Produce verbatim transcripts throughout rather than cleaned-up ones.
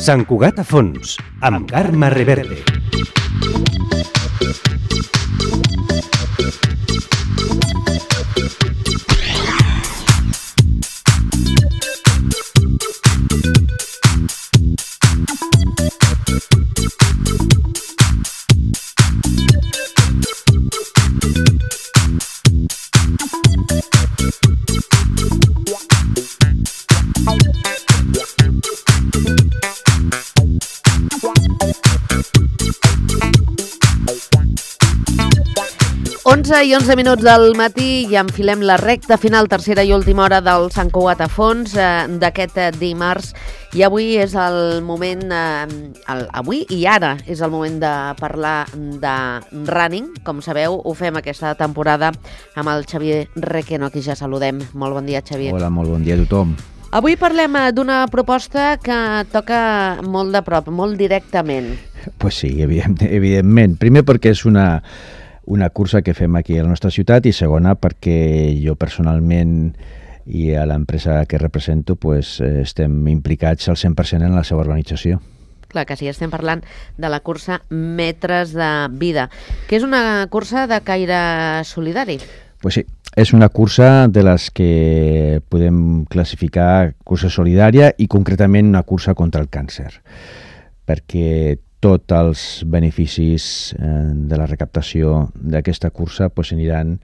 Sant Cugat a fons, amb Carme Reverte. onze i onze minuts del matí i enfilem la recta final, tercera i última hora del Sant Cugat a fons eh, d'aquest eh, dimarts. I avui és el moment, eh, el, avui i ara és el moment de parlar de running. Com sabeu, ho fem aquesta temporada amb el Xavier Requeno, qui ja saludem. Molt bon dia, Xavier. Hola, molt bon dia a tothom. Avui parlem d'una proposta que toca molt de prop, molt directament. Pues sí, evident, evidentment. Primer perquè és una... una cursa que fem aquí a la nostra ciutat i segona perquè jo personalment i a l'empresa que represento pues, estem implicats al cent per cent en la seva organització. Clar que sí, estem parlant de la cursa Metres de Vida, que és una cursa de caire solidari. Pues sí, és una cursa de les que podem classificar cursa solidària i concretament una cursa contra el càncer, perquè tots els beneficis eh, de la recaptació d'aquesta cursa pues, aniran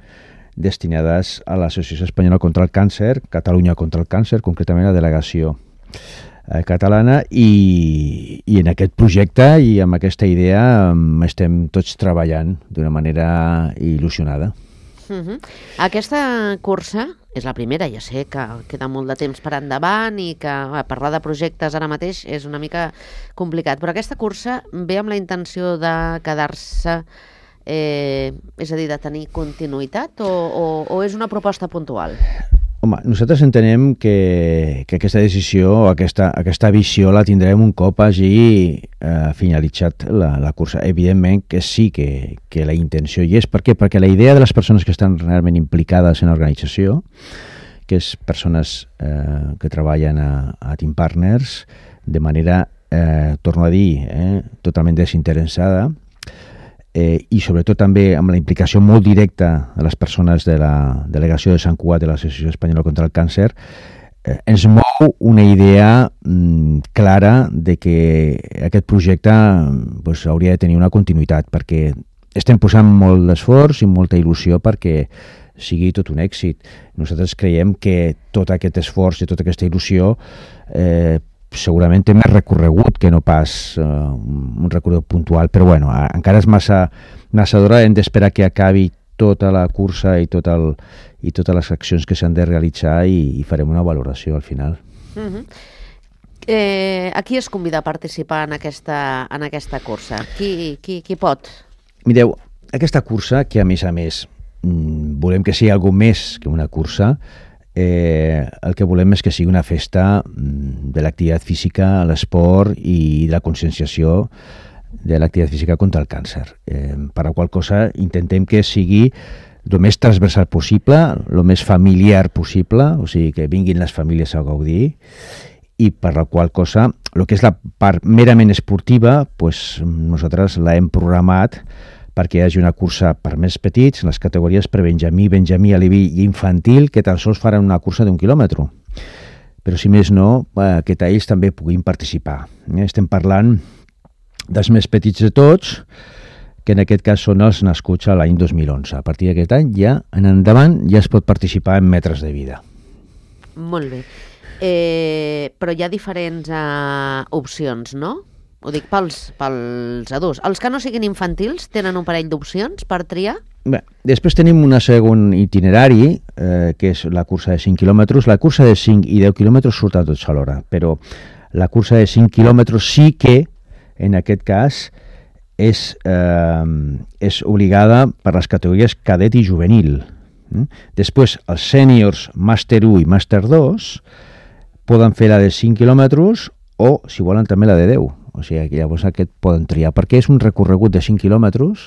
destinades a l'Associació Espanyola contra el Càncer, Catalunya contra el Càncer, concretament la delegació eh, catalana, i, i en aquest projecte i amb aquesta idea um, estem tots treballant d'una manera il·lusionada. Uh-huh. Aquesta cursa és la primera, ja sé que queda molt de temps per endavant i que a parlar de projectes ara mateix és una mica complicat, però aquesta cursa ve amb la intenció de quedar-se, eh, és a dir, de tenir continuïtat o, o, o és una proposta puntual? Home, nosaltres entenem que, que aquesta decisió, aquesta, aquesta visió la tindrem un cop hagi eh, finalitzat la, la cursa. Evidentment que sí que, que la intenció hi és. Per què? Perquè la idea de les persones que estan realment implicades en l'organització, que és persones eh, que treballen a, a Team Partners de manera, eh, torno a dir, eh, totalment desinteressada, Eh, i sobretot també amb la implicació molt directa de les persones de la delegació de Sant Cugat de l'Associació Espanyola contra el Càncer, eh, ens mou una idea mm, clara de que aquest projecte pues, hauria de tenir una continuïtat, perquè estem posant molt d'esforç i molta il·lusió perquè sigui tot un èxit. Nosaltres creiem que tot aquest esforç i tota aquesta il·lusió eh, segurament té més recorregut que no pas uh, un recorregut puntual, però bueno, encara és massa, massa d'hora, hem d'esperar que acabi tota la cursa i, tot el, i totes les accions que s'han de realitzar i, i farem una valoració al final. Uh-huh. eh, a qui es convida a participar en aquesta, en aquesta cursa? Qui, qui, qui pot? Mireu, aquesta cursa, que a més a més mmm, volem que sigui alguna més que una cursa, Eh, el que volem és que sigui una festa de l'activitat física, l'esport i de la conscienciació de l'activitat física contra el càncer. Eh, per la qual cosa intentem que sigui el més transversal possible, el més familiar possible, o sigui, que vinguin les famílies a gaudir, i per la qual cosa, el que és la part merament esportiva, pues, nosaltres l'hem programat perquè hi hagi una cursa per més petits, en les categories per Benjamí, Benjamí, Aleví i Infantil, que tan sols faran una cursa d'un quilòmetre. Però si més no, que ells també puguin participar. Estem parlant dels més petits de tots, que en aquest cas són els nascuts a l'any dos mil onze. A partir d'aquest any, ja en endavant, ja es pot participar en Metres de Vida. Molt bé. Eh, però hi ha diferents uh, opcions, no? Ho dic pels, pels adults. Els que no siguin infantils tenen un parell d'opcions per triar? Bé, després tenim un segon itinerari, eh, que és la cursa de cinc quilòmetres. La cursa de cinc i deu quilòmetres surten tots alhora, però la cursa de cinc quilòmetres sí que, en aquest cas, és, eh, és obligada per les categories cadet i juvenil. Després, els sèniors màster u i màster dos poden fer la de cinc quilòmetres o, si volen, també la de deu. O sigui, que llavors aquest poden triar, perquè és un recorregut de cinc quilòmetres,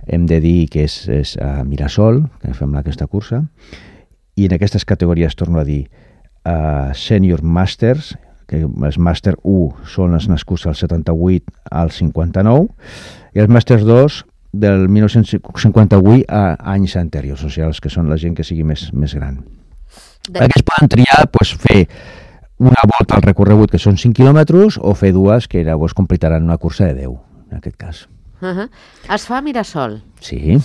hem de dir que és, és a Mirasol, que fem aquesta cursa, i en aquestes categories, torno a dir, uh, Senior Masters, que els màster u són els nascuts al setanta-vuit al cinquanta-nou, i els màsters dos del mil nou-cents cinquanta-vuit a anys anteriors, o sigui, els que són la gent que sigui més, més gran. De... Aquests poden triar pues, fer una volta al recorregut, que són cinc quilòmetres, o fer dues, que llavors completaran una cursa de deu, en aquest cas. Uh-huh. Es fa a Mirasol? Sí.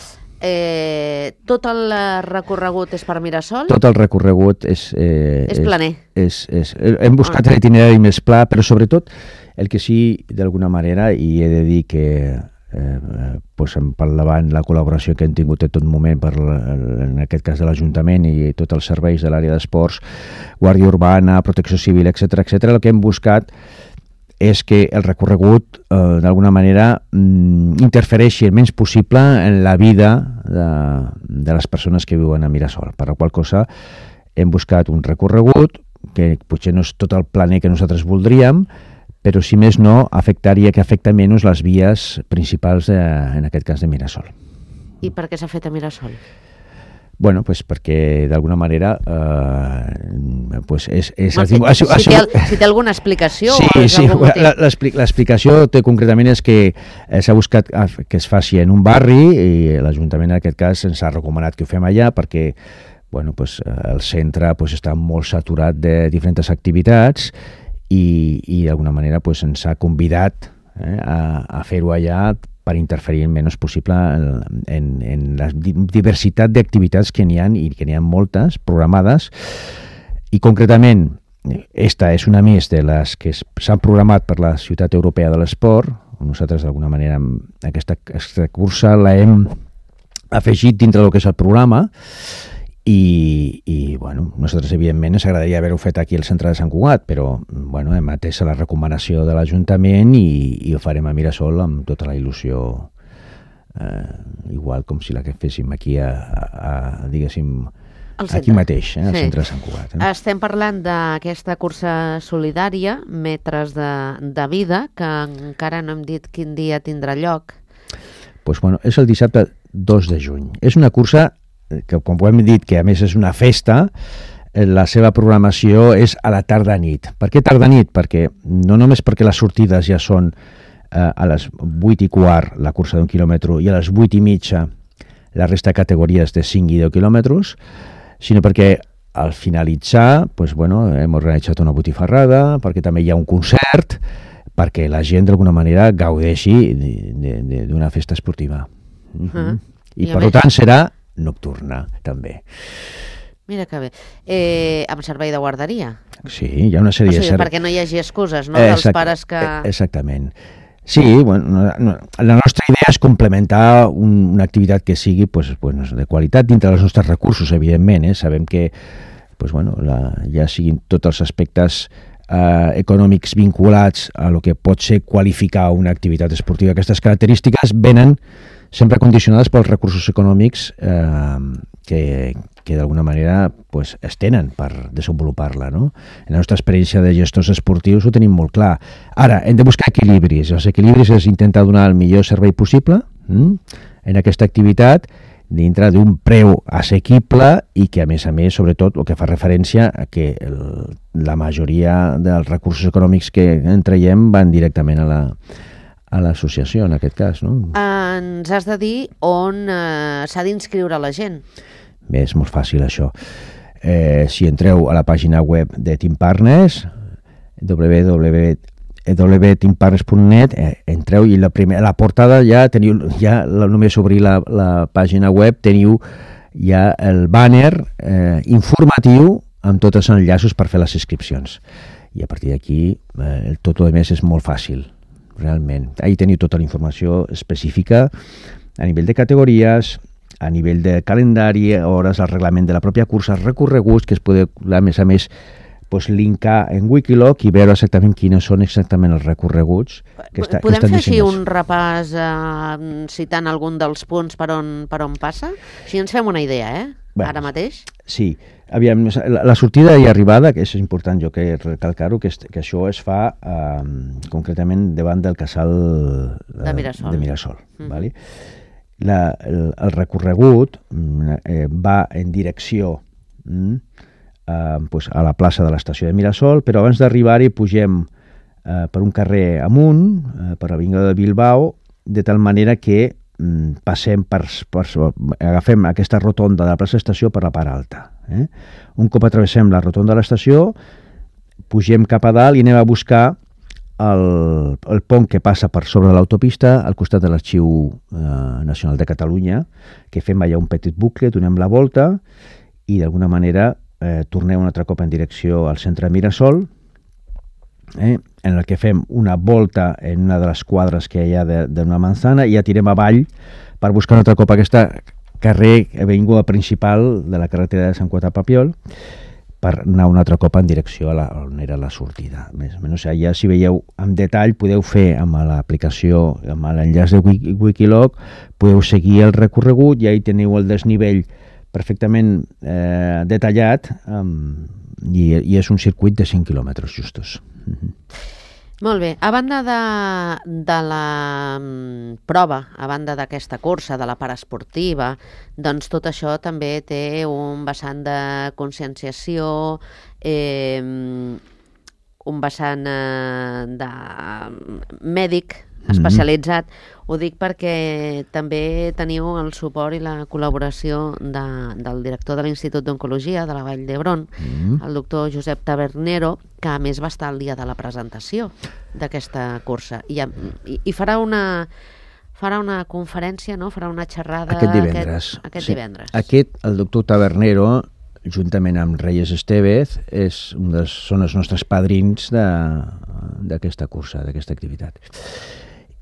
Eh, tot el recorregut és per Mirasol? Tot el recorregut és... Eh, és planer? És, és, és, hem buscat oh. l'itinerari més pla, però sobretot el que sí, d'alguna manera, i he de dir que eh, pues, per davant la col·laboració que hem tingut en tot moment, per, en aquest cas de l'Ajuntament i tots els serveis de l'àrea d'esports, Guàrdia Urbana, Protecció Civil, etcètera, etcètera, el que hem buscat és que el recorregut, eh, d'alguna manera, mm, interfereixi el menys possible en la vida de, de les persones que viuen a Mirasol. Per la qual cosa hem buscat un recorregut que potser no és tot el planer que nosaltres voldríem, però si més no, afectaria que afecta menys les vies principals, de, en aquest cas, de Mirasol. I per què s'ha fet a Mirasol? Bueno, pues perquè d'alguna manera eh, pues és, és no, si, si, si, té, si té alguna explicació sí, o és sí, algun motiu? L'explicació té concretament és que eh, s'ha buscat que es faci en un barri i l'Ajuntament en aquest cas ens ha recomanat que ho fem allà perquè bueno, pues, el centre pues, està molt saturat de diferents activitats i, i d'alguna manera pues, ens ha convidat eh, a, a fer-ho allà per interferir el menys possible en, en, en la diversitat d'activitats que n'hi ha, i que n'hi ha moltes programades, i concretament esta és una més de les que s'han programat per la Ciutat Europea de l'Esport. Nosaltres d'alguna manera aquesta, aquesta cursa l'hem afegit dintre del que és el programa i, i bueno, nosaltres evidentment ens agradaria haver-ho fet aquí al centre de Sant Cugat, però bueno, hem atès la recomanació de l'Ajuntament i, i ho farem a Mirasol amb tota la il·lusió, eh, igual com si la que féssim aquí a, a, a diguéssim aquí mateix, eh, al sí. centre de Sant Cugat. Eh? Estem parlant d'aquesta cursa solidària, Metres de, de Vida, que encara no hem dit quin dia tindrà lloc. Pues, bueno, és el dissabte dos de juny. És una cursa que, com ho hem dit, que a més és una festa, la seva programació és a la tarda-nit. Per què tarda-nit? Perquè no només perquè les sortides ja són eh, a les vuit i quart, la cursa d'un quilòmetre, i a les vuit i mitja la resta de categories de cinc i deu quilòmetres, sinó perquè al finalitzar pues, bueno, hem organitzat una botifarrada, perquè també hi ha un concert, perquè la gent d'alguna manera gaudeixi d'una festa esportiva. Uh-huh. Uh-huh. I, I per més... tant serà nocturna, també. Mira que bé. Eh, amb servei de guarderia? Sí, hi ha una sèrie o sigui, de... Ser... perquè no hi hagi excuses, no?, dels Exact... pares que... Exactament. Sí, bueno, no, la nostra idea és complementar un, una activitat que sigui pues, bueno, de qualitat dintre dels nostres recursos, evidentment. Eh? Sabem que pues, bueno, la, ja siguin tots els aspectes eh, econòmics vinculats a lo que pot ser qualificar una activitat esportiva. Aquestes característiques venen sempre condicionades pels recursos econòmics eh, que, que d'alguna manera pues, es tenen per desenvolupar-la. No? En la nostra experiència de gestors esportius ho tenim molt clar. Ara, hem de buscar equilibris. Els equilibris és intentar donar el millor servei possible hm? en aquesta activitat dintre d'un preu assequible i que, a més a més, sobretot, el que fa referència a que el, la majoria dels recursos econòmics que en traiem van directament a la a l'associació, en aquest cas, no? Ens has de dir on eh, s'ha d'inscriure la gent. Bé, és molt fàcil, això. Eh, si entreu a la pàgina web de Team Partners, w w w punt team partners punt net, eh, entreu i la, primer, la portada ja teniu, ja només obrir la, la pàgina web, teniu ja el banner eh, informatiu amb tots els enllaços per fer les inscripcions. I a partir d'aquí, eh, tot el més és molt fàcil. Realment. Ahí teniu tota la informació específica a nivell de categories, a nivell de calendari, hores, el reglament de la pròpia cursa, recorreguts, que es pot, a més a més, pues, linkar en Wikiloc i veure exactament quines són exactament els recorreguts que, està, Podem que estan fer així dissenyats. un repàs eh, citant algun dels punts per on, per on passa? Així ens fem una idea, eh? Bueno, ara mateix? Sí. Aviam, la, la sortida i arribada, que és important jo que recalcar-ho, que, que això es fa eh, concretament davant del casal eh, de Mirasol. De Mirasol mm. vale? la, el, el recorregut eh, va en direcció mm, eh, pues a la plaça de l'estació de Mirasol, però abans d'arribar-hi pugem eh, per un carrer amunt, eh, per l'avinguda de Bilbao, de tal manera que mm, passem per, per, agafem aquesta rotonda de la plaça d'estació per la part alta. Eh? Un cop atravessem la rotonda de l'estació, pugem cap a dalt i anem a buscar el, el pont que passa per sobre de l'autopista al costat de l'Arxiu eh, Nacional de Catalunya, que fem allà un petit bucle, donem la volta i d'alguna manera eh, tornem un altre cop en direcció al centre de Mirasol, eh, en el que fem una volta en una de les quadres que hi ha d'una manzana i ja tirem avall per buscar un altre cop aquesta carrer, avinguda principal de la carretera de Sant Cugat a Papiol, per anar un altre cop en direcció a la, on era la sortida. Més o menys, ja si veieu en detall, podeu fer amb l'aplicació, amb l'enllaç de Wiki, Wikiloc, podeu seguir el recorregut i ahí teniu el desnivell perfectament eh, detallat um, i, i és un circuit de cinc quilòmetres justos. Mm-hmm. Molt bé. A banda de, de la um, prova, a banda d'aquesta cursa, de la part esportiva, doncs tot això també té un vessant de conscienciació, eh, un vessant eh, de mèdic especialitzat. Mm-hmm. Ho dic perquè també teniu el suport i la col·laboració de, del director de l'Institut d'Oncologia de la Vall d'Hebron, mm-hmm. el doctor Josep Tabernero, que a més va estar el dia de la presentació d'aquesta cursa. I, i, i farà una... farà una conferència, no? Farà una xerrada aquest divendres. Aquest, aquest sí. divendres. Aquest, el doctor Tabernero, juntament amb Reyes Estevez, és un dels, són els nostres padrins d'aquesta cursa, d'aquesta activitat.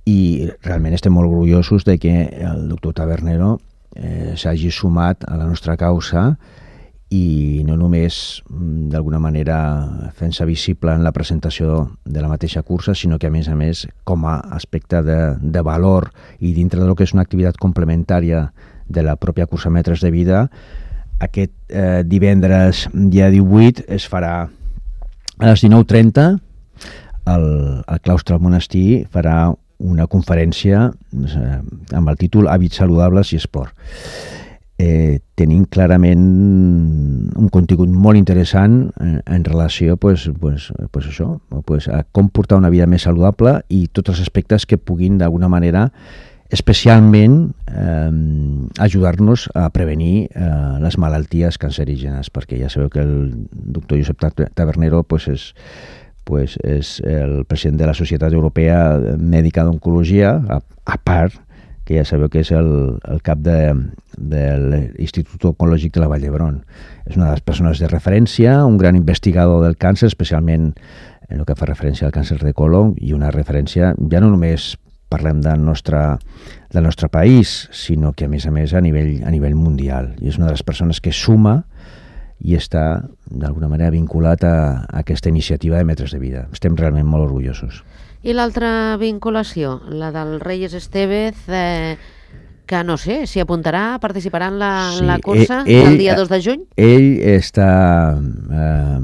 I realment estem molt orgullosos de que el doctor Tabernero eh, s'hagi sumat a la nostra causa i no només d'alguna manera fent-se visible en la presentació de la mateixa cursa, sinó que a més a més com a aspecte de, de valor i dintre del que és una activitat complementària de la pròpia cursa Metres de Vida, aquest eh, divendres dia divuit es farà a les dinou trenta el, el claustre del monestir farà una conferència eh, amb el títol Hàbits saludables i esport. Eh, tenim clarament un contingut molt interessant en, en relació pues, pues, pues això, pues, a com portar una vida més saludable i tots els aspectes que puguin d'alguna manera especialment eh, ajudar-nos a prevenir eh, les malalties cancerígenes, perquè ja sabeu que el doctor Josep Tabernero pues, és pues és el president de la Societat Europea Mèdica d'Oncologia, a, a part, que ja sabeu que és el, el cap de, de l'Institut Oncològic de la Vall d'Hebron. És una de les persones de referència, un gran investigador del càncer, especialment en el que fa referència al càncer de colon, i una referència, ja no només parlem del nostre, del nostre país, sinó que a més a més a nivell, a nivell mundial. I és una de les persones que suma i està d'alguna manera vinculat a, a aquesta iniciativa de Metres de Vida. Estem realment molt orgullosos. I l'altra vinculació, la del Reyes Estevez, eh, que no sé, s'hi apuntarà, participarà en la, sí, la cursa ell, el dia dos de juny? Ell està eh,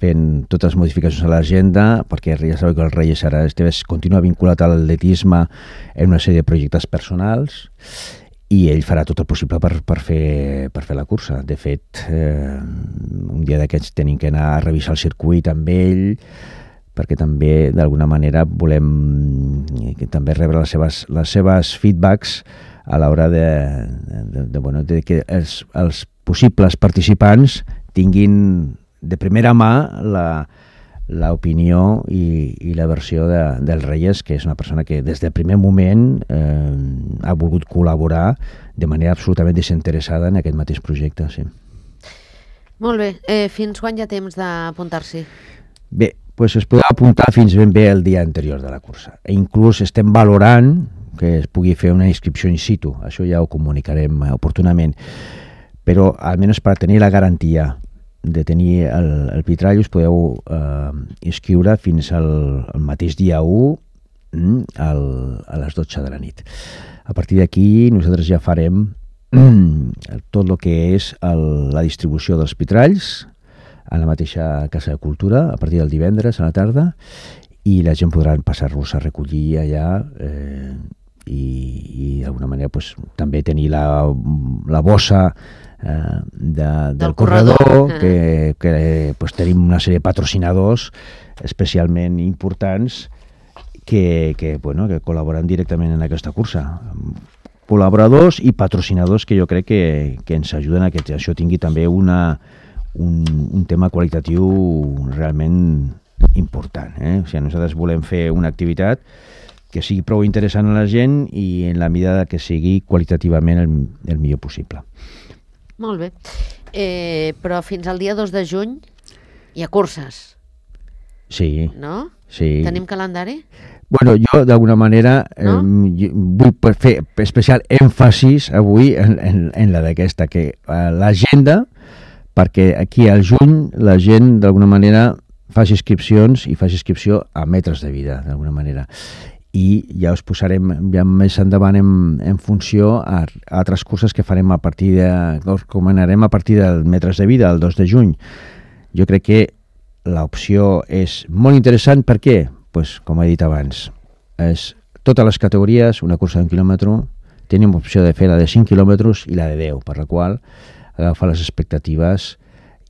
fent totes les modificacions a l'agenda, perquè ja sabeu que el Reyes ara Estevez continua vinculat a l'atletisme en una sèrie de projectes personals, i ell farà tot el possible per, per, fer, per fer la cursa. De fet, eh, un dia d'aquests tenim que anar a revisar el circuit amb ell, perquè també d'alguna manera volem que també rebre les seves, les seves feedbacks a l'hora de, de, de, bueno, de que els, els possibles participants tinguin de primera mà la l'opinió i, i la versió de, del Reyes, que és una persona que des del primer moment eh, ha volgut col·laborar de manera absolutament desinteressada en aquest mateix projecte. Sí. Molt bé. Eh, fins quan hi ha temps d'apuntar-s'hi? Bé, doncs es podrà apuntar fins ben bé el dia anterior de la cursa. E inclús estem valorant que es pugui fer una inscripció in situ. Això ja ho comunicarem oportunament. Però almenys per tenir la garantia de tenir el, el vitrall us podeu eh, inscriure fins al, al mateix dia u al, a les dotze de la nit. A partir d'aquí nosaltres ja farem tot el que és el, la distribució dels vitralls a la mateixa Casa de Cultura a partir del divendres a la tarda i la gent podrà passar-los a recollir allà eh, i, i d'alguna manera pues, també tenir la, la bossa eh, de, del, Del corredor, corredor. que, que pues, tenim una sèrie de patrocinadors especialment importants que, que, bueno, que col·laboren directament en aquesta cursa. Col·laboradors i patrocinadors que jo crec que, que ens ajuden a que això tingui també una, un, un tema qualitatiu realment important. Eh? O sigui, nosaltres volem fer una activitat que sigui prou interessant a la gent i en la medida que sigui qualitativament el, el millor possible. Molt bé. Eh, però fins al dia dos de juny hi ha curses, Sí, no? sí. Tenim calendari? Bueno, jo d'alguna manera No? eh, vull fer especial èmfasis avui en, en, en la d'aquesta, que eh, l'agenda, perquè aquí al juny la gent d'alguna manera faci inscripcions i faci inscripció a metres de vida, d'alguna manera. I ja us posarem ja més endavant en, en funció a, a altres curses que farem a partir de, que us recomanarem a partir del metres de vida, el dos de juny. Jo crec que l'opció és molt interessant. Per què? Pues, com he dit abans, és totes les categories, una cursa d'un quilòmetre, tenim opció de fer la de cinc quilòmetres i la de deu, per la qual agafa les expectatives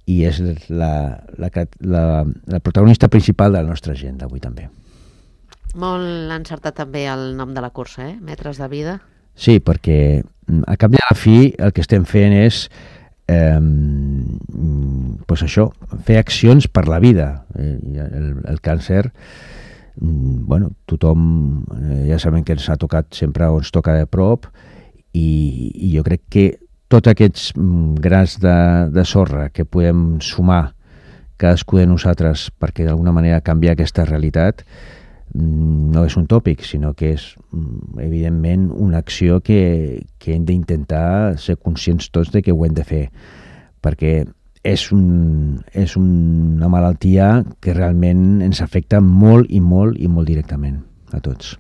i és la, la, la, la protagonista principal de la nostra agenda avui també. Molt encertat també el nom de la cursa, eh? Metres de vida. Sí, perquè a cap de la fi el que estem fent és eh, pues això, fer accions per la vida. Eh, el, el càncer, bueno, tothom eh, ja sabem que ens ha tocat sempre o ens toca de prop i, i jo crec que tots aquests grans de, de sorra que podem sumar cadascú de nosaltres perquè d'alguna manera canviar aquesta realitat no és un tòpic, sinó que és evidentment una acció que, que hem d'intentar ser conscients tots de que ho hem de fer, perquè és, un, és una malaltia que realment ens afecta molt i molt i molt directament a tots.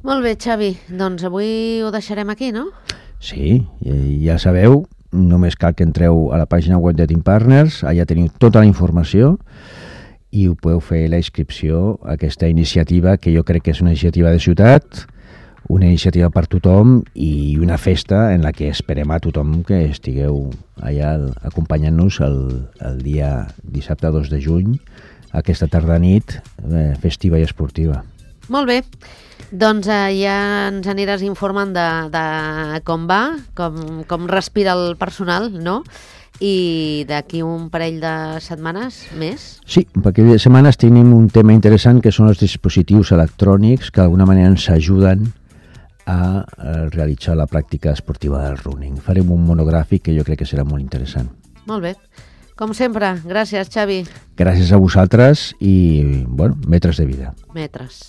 Molt bé, Xavi, doncs avui ho deixarem aquí, no? Sí, ja sabeu, només cal que entreu a la pàgina web de Team Partners, allà teniu tota la informació i ho podeu fer la inscripció a aquesta iniciativa que jo crec que és una iniciativa de ciutat, una iniciativa per tothom i una festa en la que esperem a tothom que estigueu allà acompanyant-nos el, el dia dissabte dos de juny, aquesta tarda nit eh, festiva i esportiva. Molt bé, doncs eh, ja ens aniràs informant de, de com va, com, com respira el personal, no? I d'aquí un parell de setmanes més? Sí, perquè de setmanes tenim un tema interessant que són els dispositius electrònics que d'alguna manera ens ajuden a realitzar la pràctica esportiva del running. Farem un monogràfic que jo crec que serà molt interessant. Molt bé. Com sempre, gràcies, Xavi. Gràcies a vosaltres i, bueno, metres de vida. Metres.